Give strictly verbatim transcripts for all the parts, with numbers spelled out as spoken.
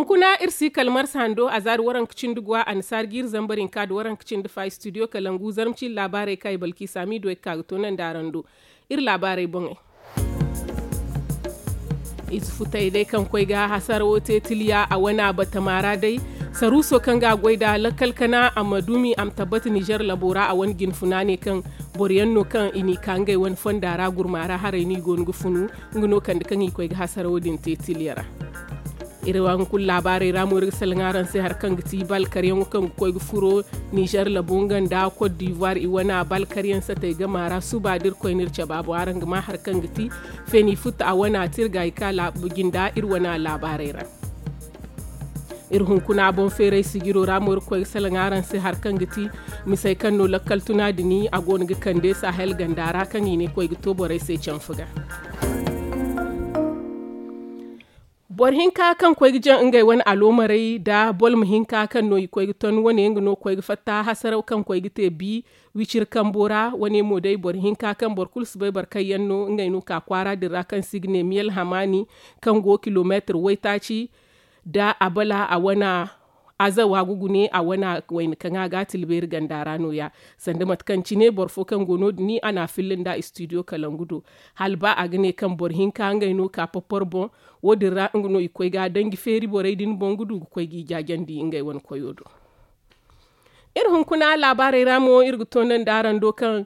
Kuna iri si kala marsa hando a za da waranka cindi guwa annasaari ga iri zambar hinka da waranka cindi fa studio kalangu zarma ciiri laabaarey kaŋ i balki saami do ay ga ka ga toonandi araŋ do. Iri laabaarey boŋey. Ize futey day kaŋ koy ga hasarawo te tiliya a wana batama ra day. Saruuso kaŋ ga a goy nd'a lakkal kana a ma duumi a ma tabbata nizer labo ra a wane jinfuna ne kaŋ boro yaŋ no kaŋ i n'i ka ngey wane fonda ra gurma ra haray no i go no ga funu. Nga no kande kaŋ i koy ga hasarawo din te tiliya ra. Iri wane kulu laabaarey ra mo iri ga salaŋ araŋ se hari kaŋ ga ti balkaryaŋo kaŋ ga koy ga furo nizer labo nga nda kot divuwar i wana balkaryaŋ satey gama ra suba da iri koy no iri caba boŋ araŋ ga ma hari kaŋ ga ti feeni futa a wana tirga i ka jinda iri wana laabaarey ra. Iri hunkuna boŋ feeray sijiro ra mo iri koy ga salaŋ araŋ se hari kaŋ ga ti misey kaŋ no lakkal tuna dini a go no ga kande sahel ganda ra kaŋ i ne koy ga to borey se canfa ga. Boro hinka kaŋ koy ga jaŋ ngey wane aloomarey nda bolma hinka kaŋ no i koy ga ton wane nga no koy ga fatta hasaraw kaŋ koy ga te bi wiciri kambo ra. Wane mo day boro hinka kaŋ boro kulu si bay boro kaŋ yaŋ no ngey no ka kwaara din ra kaŋ se i ga ne miyel hamaani kaŋ go kilomeetir waytaaci nda abala a wana azawa ga gune a wana wayna kaŋ a ga a tilbeeri ganda ra no- ya. Sanda mate kaŋ cine boro fo kaŋ go no- din a n'a filla nda studio kalangu do hala ba a ga ne kaŋ boro hinka ngey no ka popor boŋ. Wo- din ra nga no i koy ga danji feeri borey din boŋ ga du ga koy g'i jaajandi ngey wane koyo do. Iri hunkuna laabaarey ra mo iri ga toonandi araŋ do kaŋ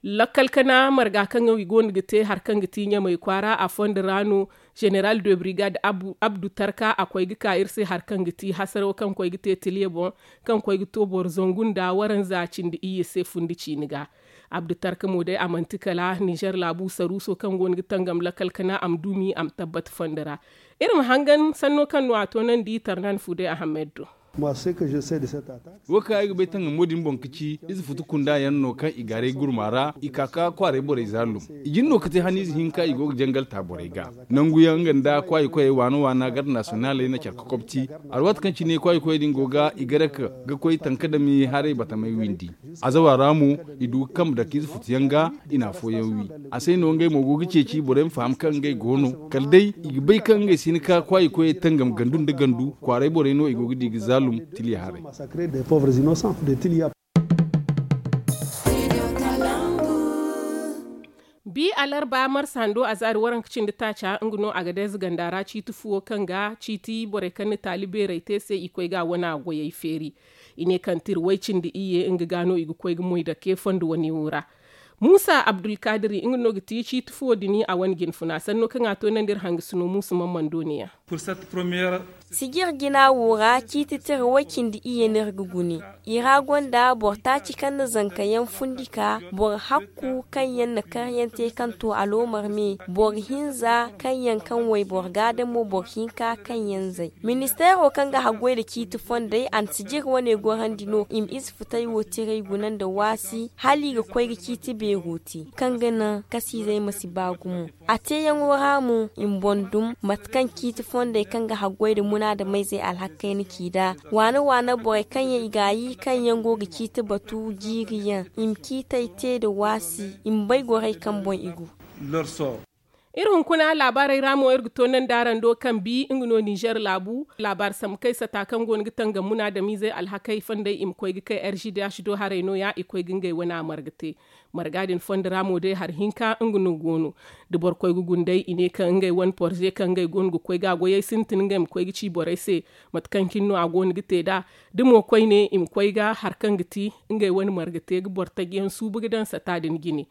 lakkal kana marga kaŋ i go no ga te hari kaŋ ga ti ɲamey kwaara a fondo ra no. Zeneral de brigade abdu tarka a koy ga ka iri se hari kaŋ ga ti hasaraw kaŋ koy ga te tiliya boŋ kaŋ koy ga to boro zangu nda waranza cindi iyye se fundi ciini ga. Abdu tarka mo day a manti kala nizer laabu saruuso kaŋ go no ga tangam lakkal kana a ma duumi a ma tabbata fondo ra. Iri ma hangan sanno kaŋ no a toonandi tarnan fu day ahammed do. Wo kaŋ ay ga bay tangamo din boŋ ga ci ize futu kunda yaŋ no kaŋ i gaaray gurma ra i ka ka kwaaray borey zaalum. I jin no ga te haniize hinka i go ga jangal ta borey ga nangu yaŋ nga nda kwaayi koyey waana waana garde nasiyonaley na care ga kobti. Alwaati kaŋ cine kwaayi koyey din go ga i gare ga koy tanka dami haray batamey windi. Azawa ra mo i du ga kambe dake ize futu yaŋ ga i na afooyaŋ wi. A se no ngey mo go ga ceeci borey ma faham kaŋ ngey go no kala day i ga bay kaŋ ngey si hin ka kwaayi koyey tangam gandu nda gandu kwaaray borey no i go ga di ga zaalum tiliya haray. Bi alarba marsa hando a zaari waranka cindi taaca nga no a ga deeza ganda ra ciiti fuwo kaŋ ga ciiti borey kaŋ na taali beerey te se i koy ga a wana goyey feeri. I ne kaŋ tira way cindi iyye nga ga no i ga koy ga moy dake fondo wane wo ra. Muusa abdulkaadiri nga no ga ti ciiti fuwo din a wane jinfuna sanno kaŋ a toonandi iri hangasino muusa mammando ne- ya. Sijir jina wo ra ciiti tira way cindi iyye no iri ga gune. I ra gonda boro taaci kaŋ na zanka yaŋ fundi ka boro hakku kaŋ yaŋ na karyaŋ te kaŋ to aloomar me boro hinza kaŋ yaŋ kaŋ wayboro ga da mo boro hinka kaŋ yaŋ zay. Ministeero kaŋ ga haggoy nda ciiti fondey a na sijir wane gorandi no i ma ize futay wo tiray guna nda waasi hala i ga koy ga ciiti beero te kaŋ ga naŋ kasiizey ma si ba gumo. A teeyaŋo ra mo i ma boŋ dum mate kaŋ ciiti fondey kaŋ ga haggoy nda munaadamayzey alhakey na ci nd'a waana waana borey kaŋ yaŋ i gaayi kaŋ yaŋ go ga ciiti batu jiiri yaŋ i ma ciitey te nda waasi i ma bay gorey kaŋ boŋ i go. Iri hunkuna laabaarey ra mo iri ga toonandi araŋ do kaŋ bi nga no ninzeer laabu laabaari sambu kay sata kaŋ go no ga tangam munaadamiizey alhakey fondey i ma koy ga kay r g d h do haray no- ya i koy ga ngey wane a marga te. Marga din fondo ra mo day hari hinka nga no go no. Da boro koy ga guna day i ne kaŋ ngey wane porze kaŋ ngey go no ga koy ga a goyey sintin ngey ma koy ga ci borey se mate kaŋ cine no a go no ga te nd'a. Da mo koyne i ma koy ga hari kaŋ ga ti ngey wane marga te ga boro taji yaŋ suubu ga daŋ sata din jine.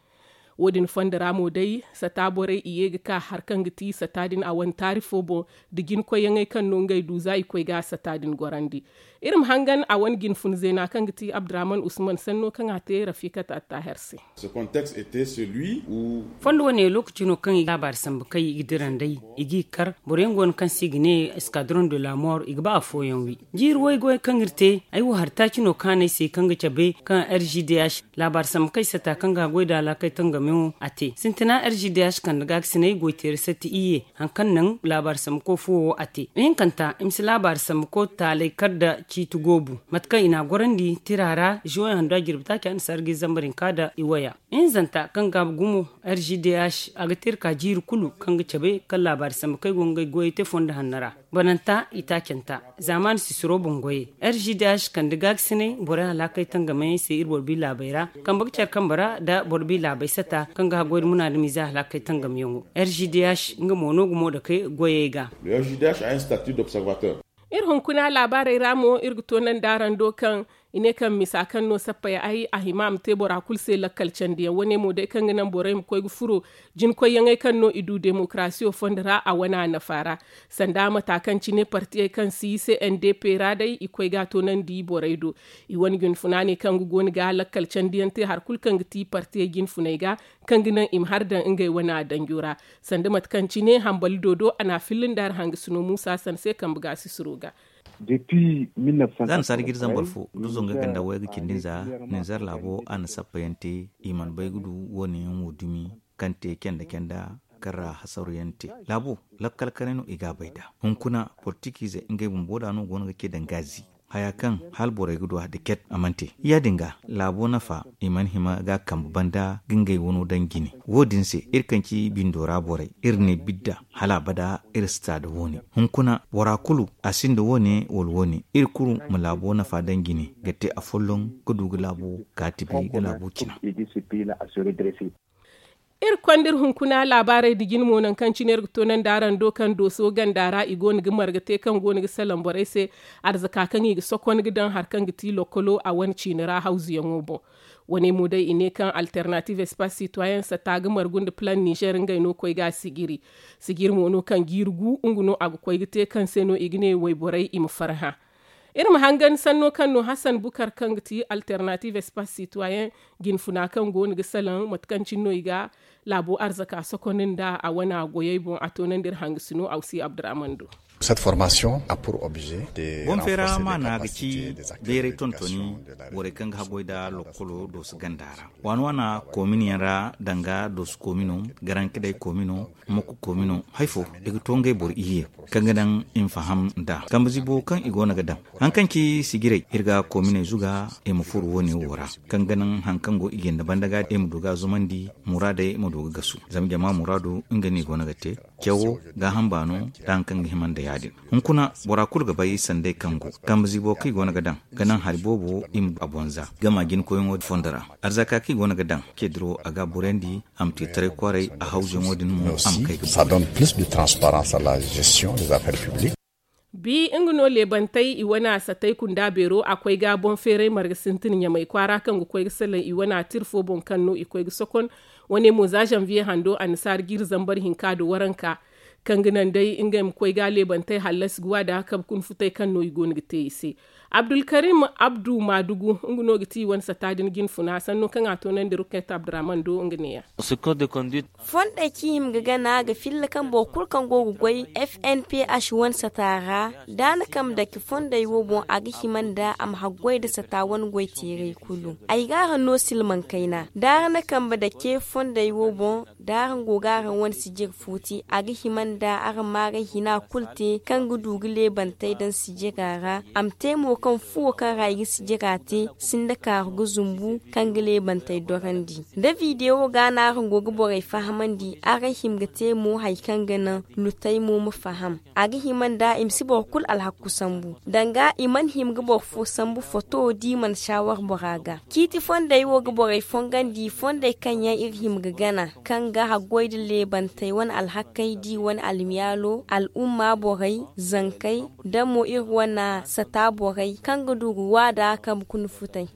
Wo- din fondo ra mo day sata borey i ye ga ka hari kaŋ ga ti sata din a wane taari fo boŋ da jina koyyaŋey kaŋ no ngey du za i koy ga sata din gorandi. Iri ma hangan a wane jina fun zeena kaŋ ga ti abdurahman usman sanno kaŋ a te rafikat attaher se. Fondo wane lookaci no kaŋ i ga laabaari sambu kay i ga dira nd'ey i g'i kar boro yaŋ go no kaŋ se i ga ne eskadron de la mor i ga ba afooyaŋ wi. Jiiri waygoy kaŋ iri te ay wo hari taaci no kaanay se kaŋ ga cabe kaŋ r g d h laabaari sambu kay sata kaŋ ga goy da laakay tangamiyaŋo a te sintina r g d h kande gaakasinay goyteeri satti iyye. Hari kaŋ naŋ laabaari sambuko fuwo wo a te ihinkanta i ma si laabaari sambuko taalay kar nda ciiti goobu. Mate kaŋ i n'a gorandi tira ra, zuwey hando a jirbi taaci a na sargi zambar hinka nda i waya. Hinzanta kaŋ ga a gumo, r g d h a ga te iri ka jiiri kulu kaŋ ga cabe kaŋ laabaari sambu kaŋ ay go ga ngey goyey te fondo hanno ra. Bananta i taacanta zaamaani sisiro boŋ goyey, r g d h kande gaakasinay borey alhakey tangamey se iri boro bi laabey ra. Kambe ga care kambe ra nda boro bi laabey sata kaŋ ga haggoy nda munaadamiize alhakey tangamyaŋo, r g d h nga mo no ga moodakey goyey ga. Iri hunkuna laabaarey ra mo iri ga toonandi araŋ do kaŋ i ne kaŋ misa kaŋ no sappey ay a hima a ma te bora kulu se lakkal candiyaŋ wane mo day kaŋ ga naŋ borey ma koy ga furo jinkoyyaŋey kaŋ no i du demokarasiyo fondo ra a wane a nafa ra. Sanda mata kaŋ cine partiyey kaŋ si c n d p ra day i koy ga a toonandi borey do. I wane junfuna ne kaŋ ga go no ga lakkal candiyaŋ te hari kulu kaŋ ga ti partiyey jinfuney ga kaŋ ga naŋ i ma hari daŋ ngey wane a danjo ra. Sanda mate kaŋ cine hambali dodo a na a fillin da hari hangasino muusa san se kambe ga sisiro ga. Za na saadi ga iri zambar fo da zonga ganda wayga cindi nza ninzeer laabo a na sappayaŋ te. I mana bay ga du wo- ne yaŋ wo dumi kaŋ te canda canda kaŋ ra hasaruyaŋ te. Laabo lakkal kanay no i ga a bay nd'a. Hunkuna politikiize ngey bumbo da no go no ga ce daŋ gaazi haya kaŋ hala borey ga du a da ket a mana te. Ya- din ga laabo nafa i mana hima ga a kambe banda ga ngey wano daŋ jine. Wo- din se iri kaŋ ci bindo ra borey iri ne bidda hala abada iri si ta nda wo- ne. Hunkuna bora kulu a sinda wo- ne wala wo- ne iri kulu ma laabo nafa daŋ jine ga te afolloŋ ga du ga laabo kaati bay ga laabo cina. Iri konda iri hunkuna laabaarey nda jine mo nangu kaŋ cine iri ga toonandi araŋ do kaŋ dooso ganda ra i go no ga marga te kaŋ go no ga salaŋ borey se arzaka kaŋ i ga sokon ga daŋ hari kaŋ ga ti lokkolo a wane ciini ra hawzuyaŋo boŋ. Wane mo day i ne kaŋ alternative espace citoyen sata ga margu nda plan nizer ngey no koy ga a sijiri. Sijiri mo no kaŋ jiiri gu nga no a ga koy ga te kaŋ se no i ga ne wayborey i ma farhã. Iri ma hangan sanno kaŋ no hasan bukar kaŋ ga ti alternative espace citoyen jinfuna kaŋ go no ga salaŋ mate kaŋ cine no i ga laabo arzaka sokondi nda a wane a goyey boŋ a toonandi iri hangasino awsi abdurrahman do. Boŋ feera maana ga ci beeray tontoni borey kaŋ ga haggoy nda lokkolo dooso ganda ra. Waana waana koominiyaŋ ra danga dooso koomino garankidey koomino mokko koomino hari fo i ga to ngey boro iyye kaŋ ga daŋ i ma faham nd'a kambe zibo kaŋ i go no ga daŋ. Hari kaŋ ci sijirey iri ga koominey zuga i ma furo wo- ne wo ra kaŋ ga naŋ hari kaŋ go i jinde banda ga i ma du ga a zumandi muraadey ma du ga gasu zama jama muraadu nga no i go no ga te. Cawo gaaham baano da hari kaŋ ga hima nda ya- din. Hunkuna bora kulu ga bay sanday kaŋ go kambe zibo kaŋ i go no ga daŋ ga naŋ hari boobo i ma du a boŋ za gama jinkoyyaŋo fondo ra. Arzaka kaŋ i go no ga daŋ ce diro a ga a burandi a ma te taray kwaaray a hawzuyaŋo din mo a ma kay ga. Bi nga no leebantey i wane a satay kunda beero a koy ga boŋ feeray marga sintin ɲamay kwaara kaŋ ga koy ga salaŋ i wane a tira fo boŋ kaŋ no i koy ga sokon. Wane mo za zanviye hando annasaara jiiri zambar hinka nda waranka kaŋ ga naŋ day ngey ma koy ga leebantey hallasi ga wa da kabe kuna futay kaŋ no i go no ga te i se. Abdulkarim abdu maadugu nga no ga ti i wane sata din jinfuna sanno kaŋ a toonandi rukayt abdurrahman do nga neeya. Fondey kaŋ i hima ga gana ga filla kaŋ boro kulu kaŋ go ga goy f n p h wane sata ra da a na kambe dake fondey wo boŋ a ga hima nda a ma haggoy nda sata wane goy teeray kulu. Ay ga araŋ no silmaŋ kayna da araŋ na kambe dake fondey wo boŋ da araŋ go ga araŋ wane sijir fo te a ga hima nda araŋ ma araŋ hina kulu te kaŋ ga du ga leebantey daŋ sijira ra. A ma te mo kaŋ fuwo kaŋ ra i ga sijira te sinda kaaru ga zumbu kaŋ ga leebantey dorandi. Da videwo ga no araŋ go ga borey fahamandi araŋ hima ga te mo hari kaŋ ga naŋ lutey mo ma faham. A ga hima nda i ma si boro kulu alhakku sambu danga i mana hima ga boro fo sambu foto di mana saawar bora ga. Ciiti fondey wo ga borey fongandi fondey kaŋ yaŋ iri hima ga gana kaŋ ga haggoy nda leebantey wane alhakkey di wane almiyaalo al'umma borey zankey nda mo iri wane sata borey kaŋ ga du ga waada kaŋ ga kuna futay.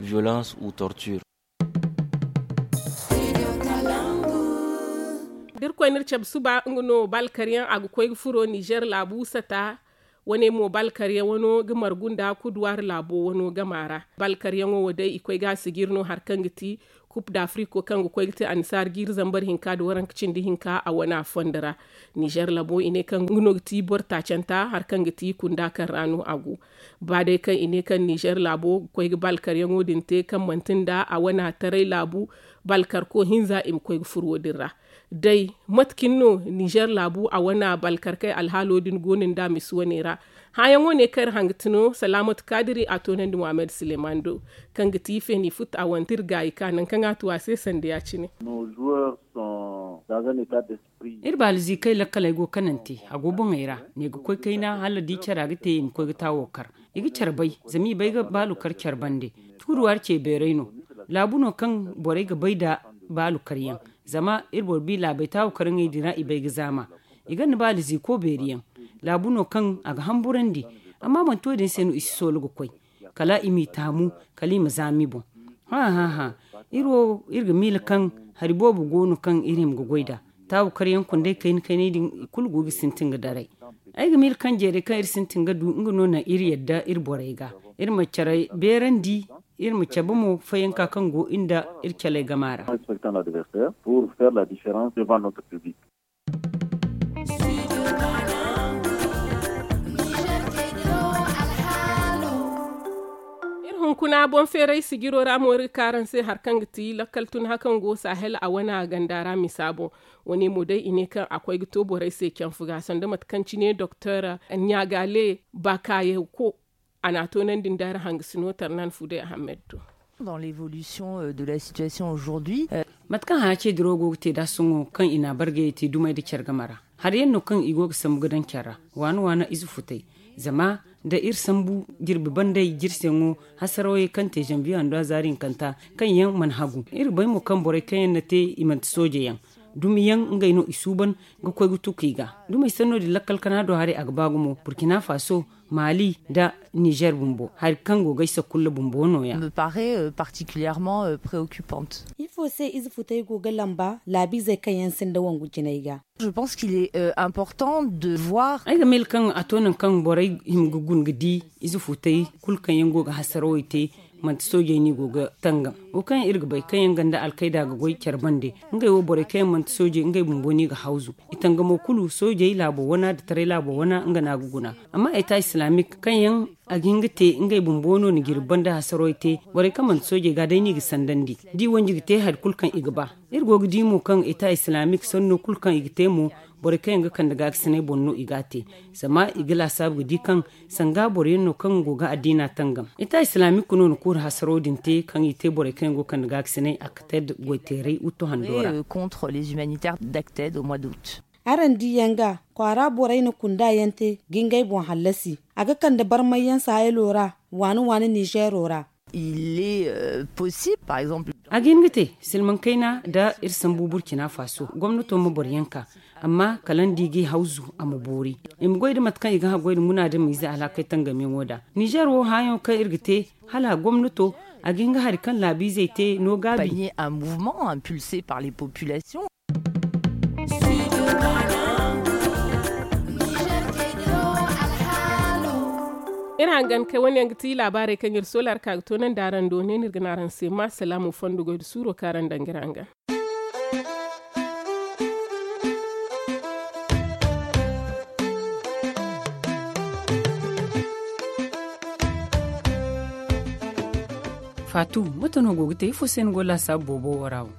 Da iri koy no iri cabe suba nga no balkaryaŋ a ga koy ga furo nizer laabu sata. Wane mo balkaryaŋ wano ga margu nda kuduwaari laabo wano gama ra. Balkaryaŋo wo day i koy ga a sijiri no hari kaŋ ga ti kup dafriko kaŋ ga koy ga te annasaara jiiri zambar hinka nda waranka cindi hinka a wane a fondo ra. Nizer labo i ne kaŋ nga no ga ti boro taacanta hari kaŋ ga ti kunda kaŋ ra no a go. Ba day kaŋ i ne kaŋ nizer laabo ga koy ga balkaryaŋo din te kaŋ manti nda a wane a taray laabu balkarko hinza i ma koy ga furo wo- din ra. Day mate cine no nizer laabu a wane balkarkey alhaalo din go no nda a misi wane ra. Hããyaŋo ne kaŋ iri hanga ti no, salaamatu kaadiri a toonandi muhammad suleman do, kaŋ ga ti feeni futa a wante iri gaayi ka nangu kaŋ a tu a se sanda ya- cine. Iri baaliziikey lakkaley go kanante, a go boŋey ra, ne ga koy kayna hala da i care a ga te i ma koy ga taawo kar. I ga care bay, zama i bay ga baalu kar care bande. Tuuruwaari ce beeray no. Laabu no kaŋ borey ga bay nda baalu karyaŋ. Zama iri boro bi laabey taawo kar ŋey din ra i bay ga zaama. I gonda baaliziiko beeri yaŋ. Laabu no kaŋ a ga hamburandi. Amma manti wo- din se no i si soola ga koy. Kala i m'i taamu, kala i ma zaama i boŋ. Hã hã hã. Iri wo, iri ga miila kaŋ hari boobo go no kaŋ iri hima ga goy nd'a. Taabu karyaŋ kundey kayna kayney din i kulu go ga sintin ga daray. Ay ga miila kaŋ jeeray kaŋ iri sintin ga du nga no naŋ iri yadda iri borey ga. Iri ma care beerandi, iri ma cabe mo fayanka kaŋ go iri nda iri caley gama ra. Iri hunkuna boŋ feeray sijiro ra mo iri ga ka araŋ se hari kaŋ ga ti lakkal tun hakaŋ go sahel a wane a ganda ra misa boŋ. Wane mo day i ne kaŋ a koy ga to borey se canfu ga sanda mate kaŋ cine doktor ɲagale bakayeko. A n'a toonandi nda hari hangasino tarnan fude ahammed do. Dans l'évolution de la situation aujourd'hui. Mate kaŋ haya ce dirawo go ga te nd'a sohõ kaŋ i n'a bargayey te dumey nda care game ra. Hari yaŋ no kaŋ i go ga sambu ga daŋ care ra. Waana waana ize futay. Zama nda iri sambu jirbi banday jirseyaŋo, hasarawey kaŋ te zanbiye handu a zaari hinkanta, kaŋ yaŋ mana hagu iri ga bay mo kaŋ borey kaŋ yaŋ na te i manti sooje yaŋ. Dumiyaŋ ngey no i suuban ga koy ga tuku i ga. Dumey sanno din lakkal kana do haray a ga ba gumo burkina faso, maali nda nizer bumbo hari kaŋ go ga ay sakulla bumbo no- ya. Me paraît particulièrement préoccupante. Ifo se ize futay go ga lamba laabiizey kaŋ yaŋ sinda wangu jinay ga? Je pense qu'il est important de voir. Ay ga miila kaŋ a to nangu kaŋ borey hima ga guna ga di ize futay kulu kaŋ yaŋ go ga hasarawey te. Manti soojey no i go ga tangam wo kaŋ yaŋ iri ga bay kaŋ yaŋ ganda alkayda ga goy care bande. Ngey wo borey kaŋ yaŋ manti soojey ngey bumbo no i ga hawzu. I tangamo kulu soojey laabo wana nda taray laabo wana nga no a ga guna. Amma eta islamik kaŋ yaŋ a ga hin ga te ngey bumbo no na jirbi banda hasarowey te. Borey kaŋ manti soojey ga day no i ga sandandi da i wanji ga te hari kulu kaŋ i ga ba. Iri go ga di mo kaŋ eta islamik sanno kulu kaŋ i ga te mo, borey kaŋ yaŋ ga kande gaakasinay boŋ no i ga a te. Zama i ga laasaabu ga di kaŋ sanga boro yaŋ no kaŋ go ga addiina tangam. Eta islamik no na kuuri hasaro din te kaŋ i te borey kaŋ yaŋ go ga kande gaakasinay akted goyteeray wuttu hando ra. Contre les humanitaires d'acted au mois d'août. Araŋ di yaŋ ga kwaara borey na kunda yaŋ te ga ngey boŋ hallasi. A ga kande barmay yaŋ sahelo ra, waani waani nizeero ra. Il est possible par exemple. A ga hin ga te silmaŋ kayna nda iri sambu burkina faso gomnato ma boro yaŋ ka. Amma kala ni di ga i hawzu a ma boori. I ma goy nda mate kaŋ i ga haggoy nda munaadamiize alhakey tangamyaŋo da nizer wo hããyaŋo kaŋ iri ga te hala gomnato a ga hin ga hari kaŋ laabiizey te no gaabi. Panier un mouvement impulsé par les populations. Iri hangan kay wane yaŋ ga ti laabaarey kaŋ iri soola araŋ ka ga toonandi araŋ do ne no iri ga ne araŋ se ma salaamu fondo goy nda suuro kaŋ araŋ daŋ ga iri hangan. Faatu, mate no go ga te ifo se ni go laasaabu boobo wo ra wo?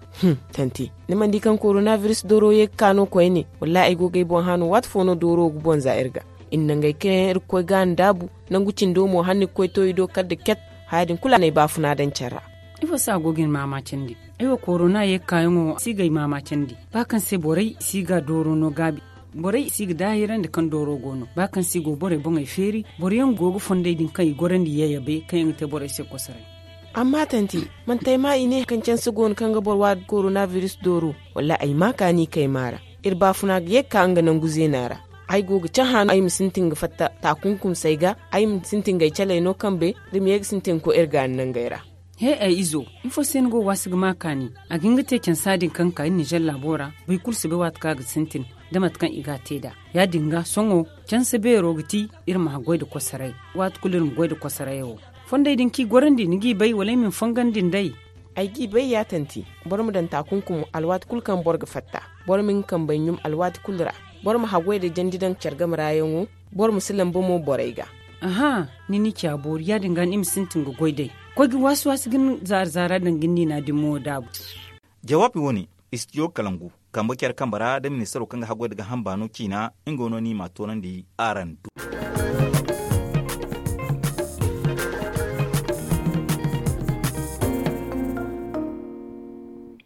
Tanti, ni mana di kaŋ koronabiris dooro ye ga ka no koyne? Wallahi ay go ga ay boŋ hã no waati fo no dooro ga boŋ za iri ga. Iri na ngey kaŋ yaŋ iri ga koy ga a ndaabu. Nangu cindo mo hala ni ga koy to i do kala da ket. Haya din kulu a na ay baafuna daŋ care ra. Ifo se a go ga ni maamaacandi? Ay wo korona ye ga kaayaŋo si ga ay maamaacandi ba kaŋ se borey si ga dooro no gaabi. Borey si ga daahirandi kaŋ dooro go no ba kaŋ se i go borey boŋey feeri. Boro yaŋ go ga fondey din kaŋ i gorandi yayabe kaŋ yaŋ ga te borey se kosoray. Amma tanti, manti ay ma i ne kaŋ canse go no kaŋ ga boro waadi koronabiris dooro? Wallaahi ay ma kaani kay maara. Iri baafuna ga ye ga ka nga nangu zeena ra. Ay go ga cahã no ay ma sintin ga fatta taakunkumsey ga. Ay ma sintin ga ay caley no kambe da ma ye ga sintin ga koy iri gaani nangey ra. He ay izo, ifo se ni go waasi ga ma kaani? A ga hin ga te cansa din kaŋ ga ka iri ninzeer laabo ra. Boro kulu si bay waati kaŋ a ga sintin da mate kaŋ i ga a te nd'a. Ya-din ga sohõ canse beero ga ti iri ma haggoy nda kosoray. Waati kulu iri ma goy nda kosorayo. Fondey din kaŋ i gorandi ni g'i bay wala ay ma ni fongandi nd'ey? Ay g'i bay ya tanti. Boro ma daŋ taakunkum alwaati kulu kaŋ boro ga fatta. Boro ma hin ga kambey ɲum alwaati kulu ra. Boro ma haggoy nda jandi daŋ care game ra yaŋo. Boro ma si lamba mo borey ga. Aha, ni n'i ci a boori ya-din ga ni ma sintin ga goy d'ey. Koy ga waasi waasi ga ni zaara zaara daŋ ga ni niina din mo daabu. Jawaabi wo-ne, istijo kalangu kambe care kambe ra da ministaro kaŋ ga haggoy nda gaaham baano ciina. Nga wo no ni m'a toonandi araŋ do.